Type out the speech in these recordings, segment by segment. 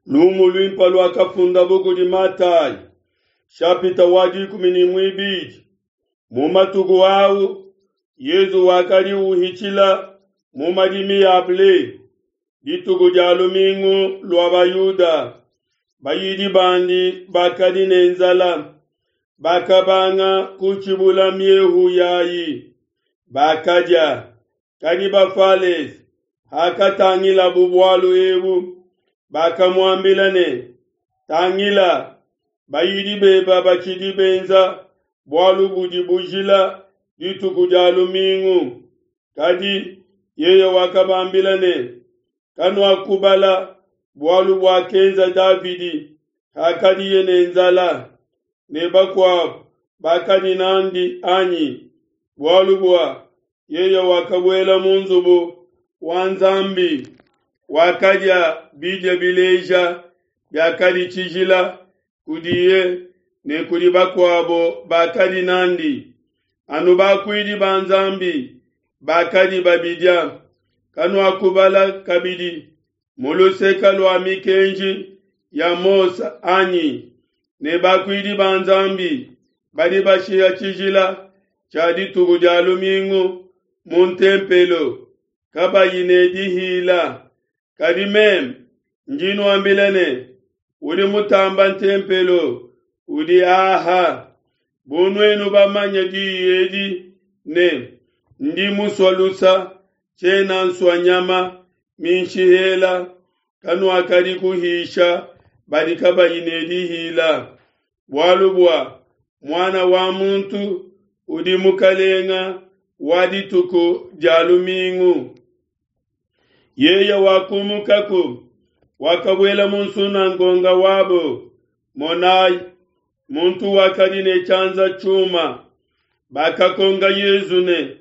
Lumu luimpe luakafundabo kudi Matayi, shapita wa dikumi ne muibidi. Mu matuku au Yezu wakadi uhitshila mu madimi a ble dituku dia lumingu lua Bayuda. Bayidi bandi bakadi ne nzala, bakabanga kutshibula miehu yayi, bakadia. Kadi Bafalese, hakatangilabu bualu ebu, bakamuambila ne, Tangila, bayidi beba batshidi benza bualu budi bujila dituku dia lumingu. Kadi yeye wakabambila ne, Kanuakubala bualu buakenza Davidi hakadiye ne nzala, ne bakuabo bakadi n'andi anyi? Bualu bua yeye wakabuela mu nzubu wa Nzambi, wakadia bidia bileja biakadi tshijila kudiye ne kudi bakuabo bakadi n'andi, anu bakuidi ba Nzambi bakadi babidia. Kanuakubala kabidi mu luseka lua mikenji ya Mose anyi ne bakuidi ba Nzambi badi bashiha tshijila tshia dituku dia lumingu mu ntempelo, kabayi ne dihila? Kadi meme ndi nuambila ne, udi mutamba ntempelo udi aha. Bu nuenu bamanye diyi edi ne, Ndi musua lusa, tshiena nsua nyama minshihela, kanuakadi kuhisha badi kabayi ne dihila. Bualu bua Muana wa muntu udi mukalenga wa dituku dia lumingu. Yeye wakumukaku, wakabuela mu nsunangonga wabo. Monai, muntu wakadi ne tshianza tshiuma. Bakakonka Yezu ne,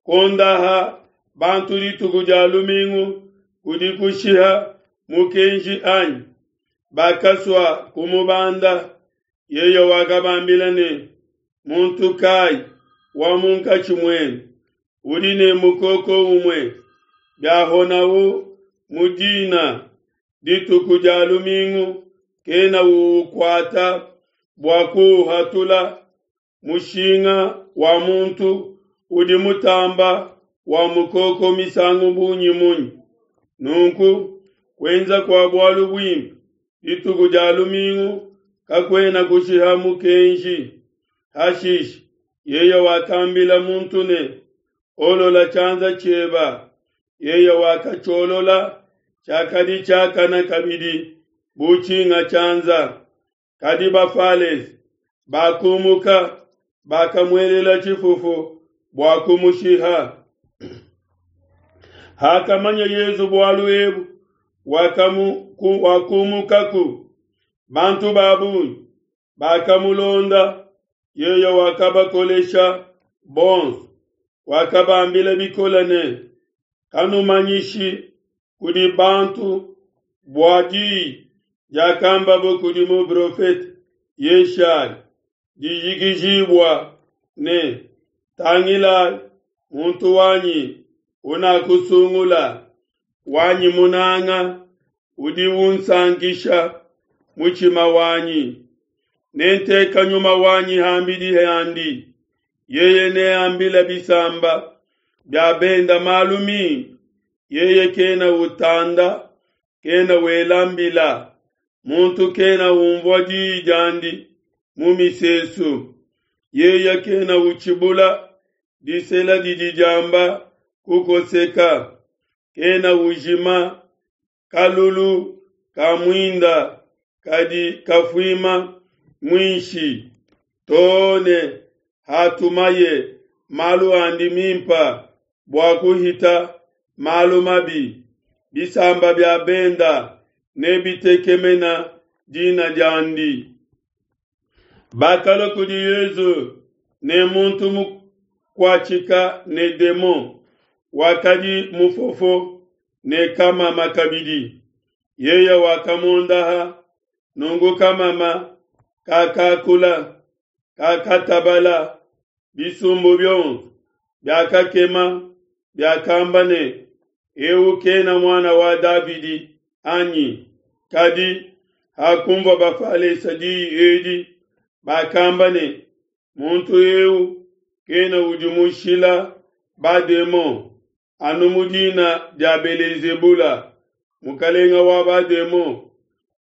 Kuondaha bantu dituku dia lumingu kudi kushiha mukenji anyi? Bakasua kumubanda. Yeye wakabambila ne, Muntu kai wa munkatshi muenu udi ne mukoko umue, biahonawu mu dina dituku dia lumingu, kena uukuata bua kuuhatula? Mushinga wa muntu udi mutamba wa mukoko misangu bungi munyi? Nunku kuenza kua bualu buimpe dituku dia lumingu kakuena kushiha mukenji. Hashishe yeye wakambila muntu ne, Olola tshianza tshieba. Yeye wakatshiolola, tshiakadi tshiakana kabidi bu tshinga tshianza. Kadi Bafalese bakumuka, bakamuelela tshifufu bua kumushiha. Hakamanya Yezu bualu ebu, wakumukaku. Bantu ba bungi bakamulonda, yeye wakabakolesha bonso. Wakabambila bikole ne, Kanumanyishi kudi bantu bua diyi diakambabo kudi muprofete Yeshaya dijikijibua ne, Tangilai, muntu wanyi unakusungula, wanyi munanga, udi unsankisha mutshima wanyi. Nenteka nyuma wanyi hambidi handi, yeye neambile bisamba bia benda malu mimpe. Yeye kena utanda, kena wela mbila, muntu kena unvua diyi diandi mu misesu. Yeye kena utshibula disela didi diamba kukoseka, kena ujima kalulu ka muinda kadi kafuima muinshi, too ne hatumaye malu andi mimpe bua kuhita malu mabi. Bisamba bia benda nebitekemena dina diandi. Bakalua kudi Yezu ne muntu mukuatshika ne demon, wakadi mufofo ne kamama kabidi. Yeye wakamuondaha, nunku kamama kakakula, kakatabala. Bisumbu bionso biakakema, biakamba ne, Eu kena muana wa Davidi, anyi? Kadi hakunvua Bafalesa diyi edi, bakamba ne, Muntu eu kena udimushila bademon anu mu dina dia Belezebula, mukalenga wa bademon.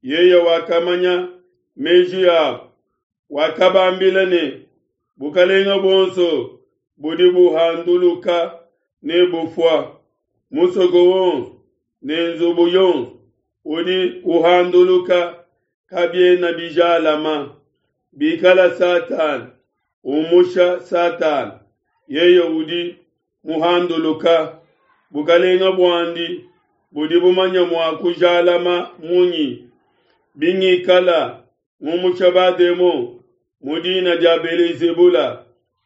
Yeye wakamanya meji abo, wakabambila ne, Bukalenga buonso budi buhanduluka ne bufua, musoko wonso ne nzubu yonso udi uhanduluka kabiena bijalama. Bikala Satana umusha Satana, yeye udi muhanduluka, bukalenga buandi budi bumanya mua kujalama munyi? Bingikala ngumusha bademon mu dina dia Belezebula,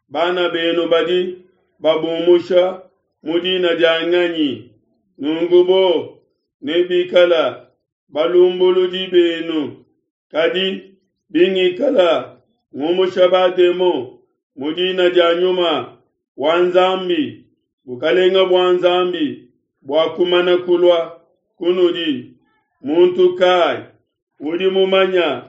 bana benu badi babumusha mu dina dia nganyi? Nunku bo nebikala balumbuludi benu. Kadi bingikala ngumusha bademon mu dina dia Nyuma wa Nzambi, bukalenga bua Nzambi buakumana kulua kunudi. Muntu kai udi mumanya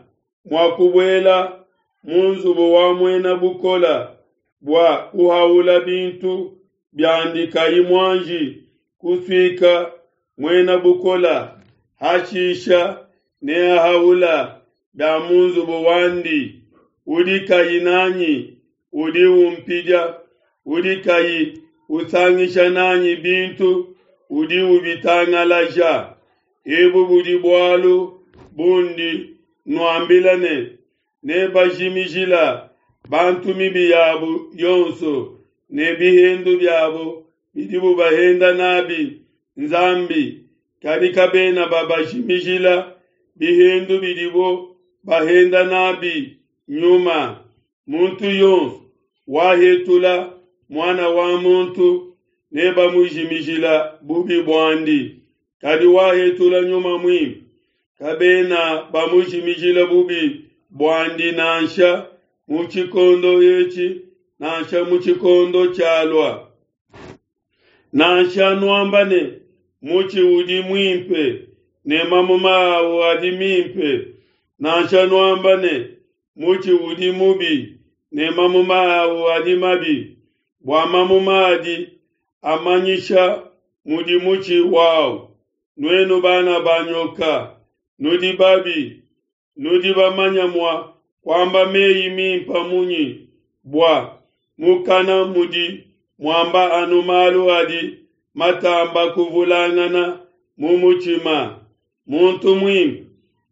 mua kubuela mu nzubu wa muena bukola bua kuhaula bintu biandi kayi muanji kusuika muena bukola, hashisha neahaula bia mu nzubu wandi? Udi kayi nanyi udi umpidia, udi kayi usangisha nanyi bintu udi ubitangalaja. Ebu budi bualu bundi nuambila ne, nebajimijila bantu mibi yabu yonso ne bihendu biabo bidibu bahenda nabi Nzambi, kadi kabena babajimijila bihendu bidibo bahenda nabi Nyuma. Muntu yonso wahetula Muana wa muntu nebamujimijila bubi buandi, kadi wahetula Nyuma Muimpe kabena bamujimijila bubi buandi nansha mu tshikondo etshi nansha mu tshikondo tshialua. Nansha nuamba ne, mutshi udi muimpe ne mamuma awu adi mimpe, nansha nuamba ne, mutshi udi mubi ne mamuma awu adi mabi, bua mamuma adi amanyisha mudi mutshi wawu. Nuenu bana ba nyoka, nudi babi, nudi bamanya mua kuamba meyi mimpa munyi? Bua mukana mudi muamba anu malu adi matamba kuvulangana mu mutshima. Muntu muimpe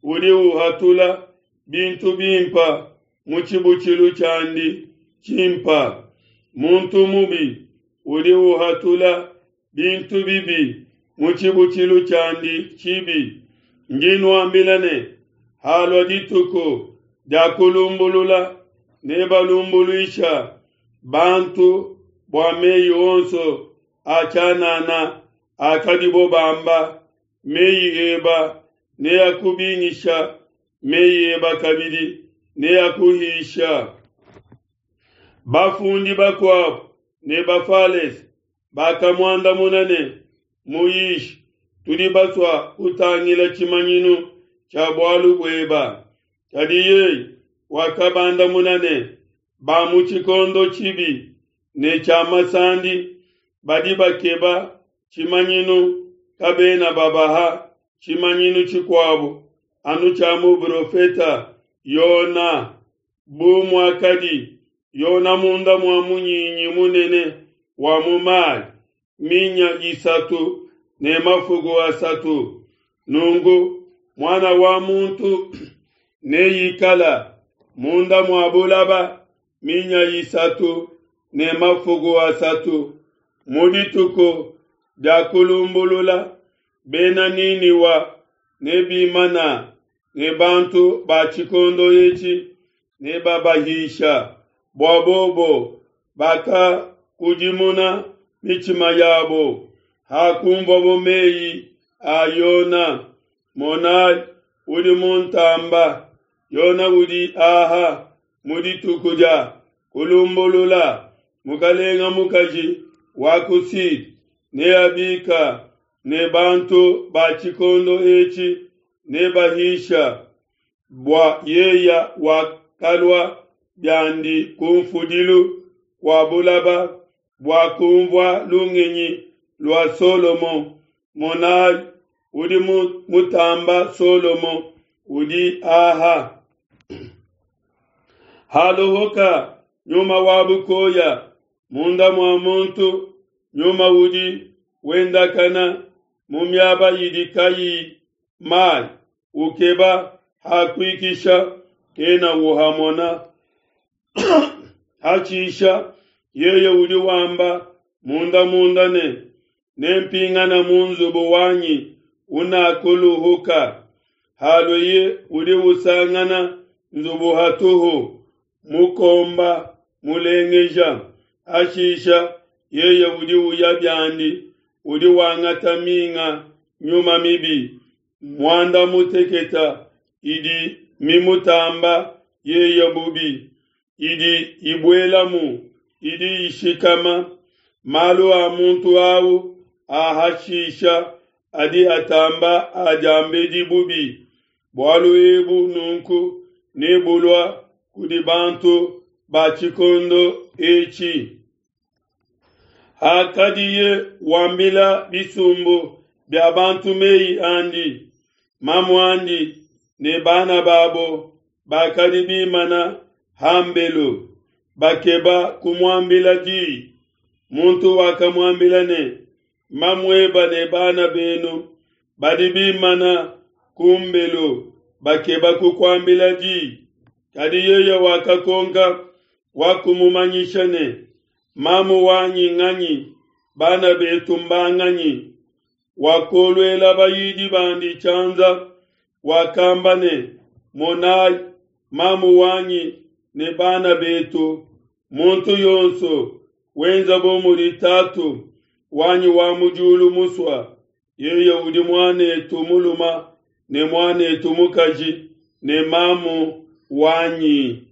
udi uhatula bintu bimpa mu tshibutshilu tshiandi tshimpa. Muntu mubi udi uhatula bintu bibi mu tshibutshilu tshiandi tshibi. Ndi nuambila ne, halua dituku dia kulumbulula, nebalumbuluisha bantu bua meyi onso a tshianana akadibo bamba. Meyi eba neakubingisha, meyi eba kabidi neakuhisha. Bafundi bakuabo ne Bafalese bakamuandamuna ne, Muyishi, tudi basua kutangila tshimanyinu tshia bualu bueba. Kadi yeye wakabandamuna ne, Ba mu tshikondo tshibi ne tshia masandi badi bakeba tshimanyinu, kabena babaha tshimanyinu tshikuabo anu tshia muprofeta Yona. Bu muakadi Yona munda mua munyinyi munene wa mu mayi minya isatu ne mafuku asatu, nunku Muana wa muntu neikala munda mua bulaba minya isatu ne mafuku asatu. Mu dituku dia kulumbulula, bena Niniwa nebimana ne bantu ba tshikondo etshi nebabahisha, bua bobo bakakudimuna mitshima yabo hakunvuabo meyi a Yona. Monai, udi muntamba, Yona udi aha mu dituku dia kulumbulula. Mukalenga mukaji wa ku Sud neabika ne bantu ba tshikondo etshi. Nebahisha bua yeya wakalua biandi kunfudilu kua bulaba bua kunvua lungenyi lua Solomo. Monai, udi mutamba Solomo udi aha. Halohoka nyuma wa bukoya munda mua muntu, nyuma udi wendakana mu miaba idi kayiyi mai, ukeba ha kuikisha, kena uhamona. Hatshisha yeye udi wamba munda munda ne, Nempingana mu nzubu wanyi unakuluhuka. Halueye udi usangana nzubu hatuhu, mukomba mulengeja. Hashisha yeye udi uya biandi, udi wangata minga nyuma mibi muanda muteketa idi mimutamba yeye bubi, idi ibuelamu, idi ishikama. Malu a muntu au a hashisha adi atamba a diambedi bubi. Bualu ebu nunku nebulua kudi bantu ba tshikondo etshi. Hakadiye wambila bisumbu bia bantu mei andi, mamuandi ne bana babo bakadi bimana hambelu, bakeba kumuambila di. Muntu wakamuambila ne, Mamueba ne bana benu badi bimana ku mbelu bakeba kukuambila di. Kadi yeye wakakonka wakumumanyisha ne, Mamu wanyi nganyi, bana betu mbanganyi? Wakoluela bayidi bandi tshianza, wakamba ne, Monai mamu wanyi ne bana betu, muntu yonso wenza bu mudi Tatu wanyi wa mu diulu musua, yeye udi muan'etu mulume ne muan'etu mukaji ne mamu wanyi.